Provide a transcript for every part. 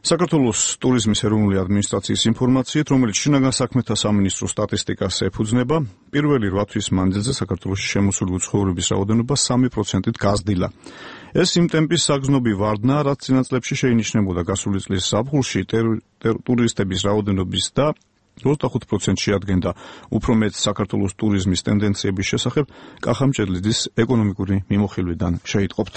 საქართველოს ტურიზმის ეროვნული ადმინისტრაციის ინფორმაციით, რომელიც შინაგან საქმეთა სამინისტროს სტატისტიკას ეფუძნება, პირველი 8 თვის მანძილზე საქართველოში შემოსული უცხოურების რაოდენობა 3%-ით გაზრდილა. ეს იმ ტემპის საგრძნობი ვარდნა, რაც წინა წლებში შეინიშნებოდა გასული წლის ზაფხულში ტურისტების რაოდენობის და 25% შეადგენდა უფრო მეტ საქართველოს ტურიზმის ტენდენციების შესახებ კახა მჭედლიძის ეკონომიკური მიმოხილვიდან შეიტყობთ.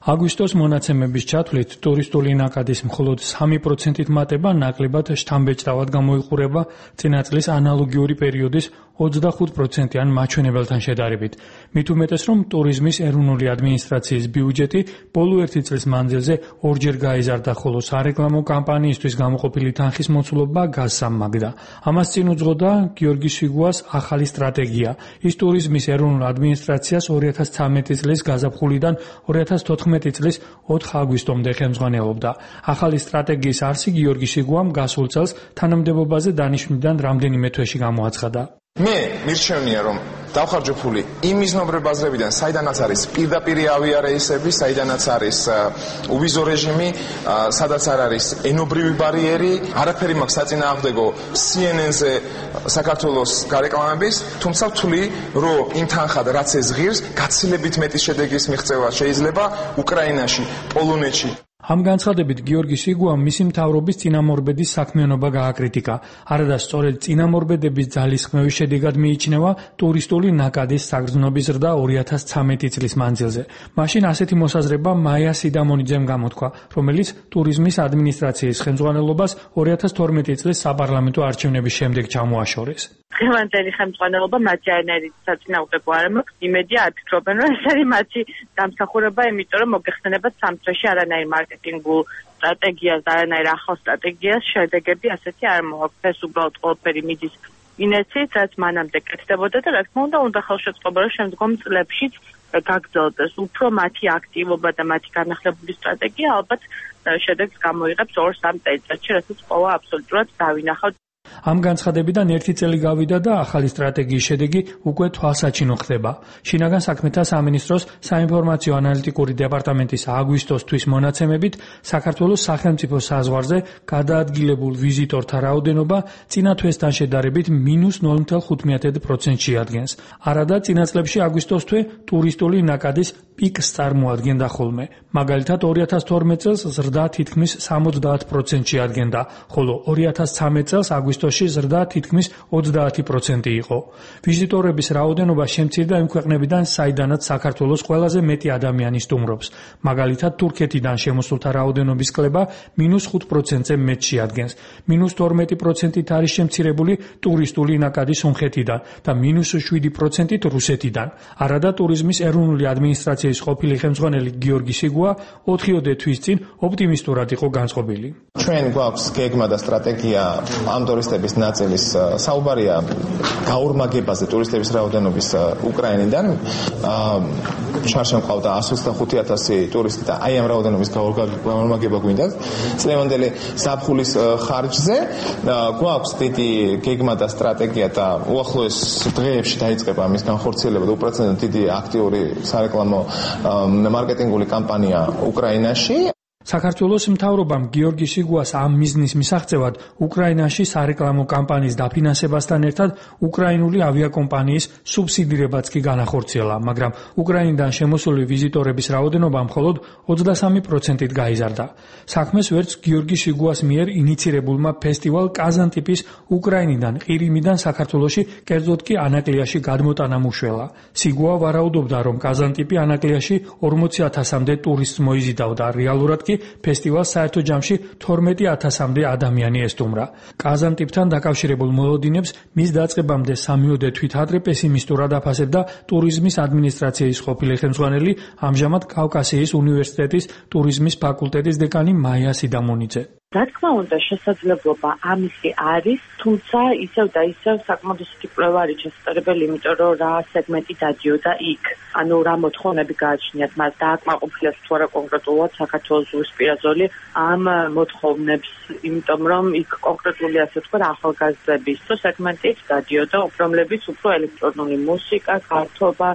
აგვისტოს მონაცემების ჩათვლით ტურისტული ნაკადის მხოლოდ 3%-ით მატება ნაკლებად შთამბეჭდავად გამოიყურება წინა წლის ანალოგიური პერიოდის 25%-იან მაჩვენებელთან შედარებით. მით უმეტეს, რომ ტურიზმის ეროვნული ადმინისტრაციის ბიუჯეტი ბოლო ერთი წლის მანძილზე ორჯერ გაიზარდა, ხოლო სარეკლამო კამპანიისთვის გამოყოფილი თანხის მოცულობა გასამაგდა. ამას წინ უძღოდა გიორგი სვიგუას ახალი სტრატეგია. ის ტურიზმის ეროვნულ ადმინისტრაციას 2013 წლის გაზაფხულიდან 2014 წლის 4 აგვისტომდე ხელმძღვანელობდა. ახალი სტრატეგიის არსი გიორგი სვიგუამ გასულ წელს თანამდებობაზე დანიშვნიდან რამდენიმე თვეში გამოაცხადა. მე მირჩევნია, რომ დავხარჯო ფული იმ მიზნობრივ ბაზრებიდან, საიდანაც არის პირდაპირი ავიარეისები, საიდანაც არის უვიზო რეჟიმი, სადაც არ არის ენობრივი ბარიერი, არაფერი მაქვს საწინააღმდეგო CNN-ზე საქართველოს გარეკლამების, თუმცა ვთვლი, რომ იმ თანხად რაც ეს ღირს, გაცილებით მეტი შედეგის მიღწევა შეიძლება უკრაინაში, პოლონეთში. ამ განცხადებით გიორგი სვიგუამ მისი მთავრობის წინამორბედის საქმიანობა გააკრიტიკა. არადა სწორედ წინამორბედების ძალისხმევის შედეგად მიიჩნევა ტურისტული ნაკადის საგრძნობის ზრდა 2013 წლის მანძილზე. მაშინ ასეთი მოსაზრება მაია სიდამონიძემ გამოთქვა, რომელიც ტურიზმის ადმინისტრაციის ხელმძღვანელობას 2012 წლის საპარლამენტო არჩევნების შემდეგ ჩამოაშორეს. დღევანდელი ხელმძღვანელობა მათი არანაირი საწინააღმდეგო არ მაქვს. იმედია არ ფიქრობენ, რომ ეს არის მათი დამსახურება, იმიტომ რომ მოგეხსენებათ სამ თვეში არანაირი მარკეტინგულ სტრატეგიას და არანაირი ახალ სტრატეგიას შედეგები ასეთი არ მოაქვს. ეს უბრალოდ ყველაფერი მიდის ინერციით, რაც მანამდე კეთდებოდა და რა თქმა უნდა ხელშეწყობა რომ შემდგომ წლებშიც გაგრძელდეს. უფრო მათი აქტივობა და მათი განახლებული სტრატეგია ალბათ შედეგს გამოიღებს 2-3 წელიწადში, რასაც ყველა აბსოლუტურად დავინახავთ. ამ განცხადებიდან ერთი წელი გავიდა და ახალი სტრატეგიის შედეგი უკვე თვალსაჩინო ხდება. შინაგან საქმეთა სამინისტროს საინფორმაციო ანალიტიკური დეპარტამენტის აგვისტოს თვის მონაცემებით საქართველოს სახელმწიფო საზღვარზე გადაადგილებულ ვიზიტორთა რაოდენობა წინა თვესთან შედარებით -0.5% შეადგენს. არადა წინა წლებში აგვისტოს თვე ტურისტული ნაკადის პიკს წარმოადგენდა ხოლმე. მაგალითად 2012 წელს ზრდა თითქმის 70% შეადგენდა, ხოლო 2013 წელს აგვისტოში ზრდა თითქმის 30% იყო. ვიზიტორების რაოდენობა შემცირდა იმ ქვეყნებიდან, საიდანაც საქართველოს ყველაზე მეტი ადამიანი სტუმრობს. მაგალითად თურქეთიდან შემოსულთა რაოდენობის კლება -5%-ზე მეტ შეადგენს. -12%-ით არის შემცირებული ტურისტული ნაკადი სომხეთიდან და -7%-ით რუსეთიდან. არადა ტურიზმის ეროვნული ადმინისტრაციის ყოფილი ხელმძღვანელი გიორგი სვიგუა 4 თვის წინ ოპტიმისტურად იყო განწყობილი. ჩვენ გვაქვს გეგმა და სტრატეგია ამ ტურისტების ნაწილის საუბარია გაორმაგებაზე ტურისტების რაოდენობის უკრაინიდან. შარშან ყავდა 125,000 ტურისტი და აი ამ რაოდენობის გაორმაგება გვინდა. წლევანდელი ზაფხულის ხარჯზე გვაქვს დიდი გეგმა და სტრატეგია და უახლოეს დღეებში დაიწყება მის განხორციელება და უპრეცედენტო დიდი აქტიური სარეკლამო მარკეტინგული კამპანია უკრაინაში. საქართველოს მთავრობამ გიორგი სვიგუას ამ მიზნის მისაღწევად უკრაინაში სარეკლამო კამპანიის დაფინანსებასთან ერთად უკრაინული ავიაკომპანიის სუბსიდირებაც კი განახორციელა, მაგრამ უკრაინიდან შემოსული ვიზიტორების რაოდენობა მხოლოდ 23%-ით გაიზარდა. საქმეს ვერც გიორგი სვიგუას მიერ ინიცირებულმა ფესტივალ კაზანტიპის უკრაინიდან, ყირიმიდან საქართველოში, კერძოდ კი ანაკლიაში გადმოტანამ უშველა. სვიგუა ვარაუდობდა, რომ კაზანტიპი ანაკლიაში 40,000-მდე ტურისტს მოიზიდავდა, რეალურად კი ფესტივალს საერთო ჯამში 12,000-მდე ადამიანი ესტუმრა. კაზანტიპთან დაკავშირებულ მოლოდინებს მის დაწყებამდე 3 თვით ადრე პესიმისტურად აფასებდა ტურიზმის ადმინისტრაციის ყოფილი ხელმძღვანელი, ამჟამად კავკასიის უნივერსიტეტის ტურიზმის ფაკულტეტის დეკანი მაია სიდამონიძე. რა თქმა უნდა, შესაძლებლობა ამისი არის, თუმცა ისევ და ისევ საკმაოდ ისეთი კვლევა არის შესაძლებელი, იმიტომ რომ რა სეგმენტი დადიოდა იქ. ანუ რა მოთხოვნები გააჩნიათ მას დააკმაყოფილებს თუ არა კონკრეტულად საქართველოს ზღვისპირა ზოლი ამ მოთხოვნებს, იმიტომ რომ იქ კონკრეტული ასე თქვა ახალგაზრდების სეგმენტით დადიოდა, რომლებიც უფრო ელექტრონული მუსიკა, გართობა,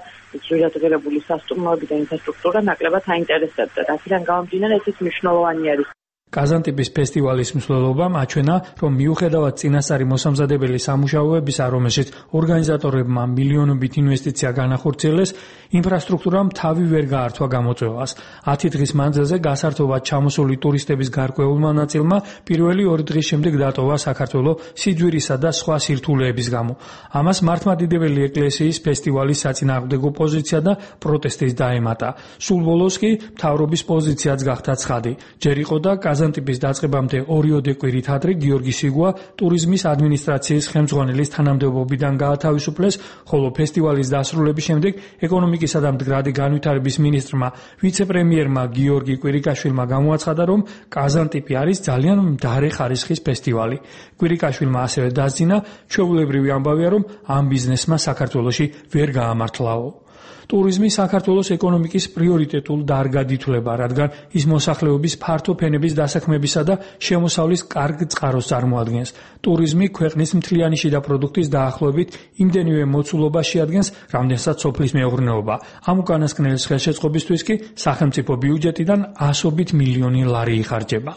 ძვირადღირებული სასტუმროები და ინფრასტრუქტურა ნაკლებად აინტერესებდა. აქედან გამომდინარე ესეც მნიშვნელოვანი არის. კაზანტიპის ფესტივალის მსვლელობამ აჩვენა, რომ მიუხედავად წინასწარი მოსამზადებელი სამუშაოებისა, რომელშიც ორგანიზატორებმა მილიონობით ინვესტიცია განახორციელეს, ინფრასტრუქტურამ თავი ვერ გაართვა გამოწვევას. 10 დღის მანძილზე გასართობად ჩამოსული ტურისტების გარკვეულმა ნაწილმა პირველი 2 დღის შემდეგ დატოვა საქართველოს სიძვირისა და სხვა სირთულეების გამო. ამას მართლმადიდებელი ეკლესიის ფესტივალის საწინააღმდეგო პოზიცია და პროტესტის დაემატა. სულ ბოლოს კი მთავრობის პოზიციაც გახდა ცხადი. ჯერ იყო და კაზანტიპის დაწყებამდე ორიოდე კვირით ადრე გიორგი სიგვა ტურიზმის ადმინისტრაციის ხელმძღვანელის თანამდებობიდან გაათავისუფლეს, ხოლო ფესტივალის დასრულების შემდეგ ეკონომიკისა და მდგრადი განვითარების მინისტრმა ვიცე-პრემიერმა გიორგი კვირიკაშვილმა გამოაცხადა, რომ კაზანტიპი არის ძალიან მდარე ხარისხის ფესტივალი. კვირიკაშვილმა ასევე დასძინა, ჩვეულებრივი ამბავია, რომ ამ ბიზნესმა საქართველოში ვერ გაამართლაო. ტურიზმი საქართველოს ეკონომიკის პრიორიტეტულ დარგად ითვლება, რადგან ის მოსახლეობის ფართო ფენების დასაქმებისა და შემოსავლის კარგ წყაროს წარმოადგენს. ტურიზმი ქვეყნის მთლიანი შიდა პროდუქტის დაახლოებით იმდენივე მოცულობას შეადგენს, რამდენსაც სოფლის მეურნეობა. ამ უკანასკნელის ხელშეწყობისთვის კი სახელმწიფო ბიუჯეტიდან ასობით მილიონი ლარი იხარჯება.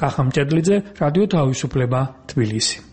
კახა მჭედლიძე, რადიო თავისუფლება, თბილისი.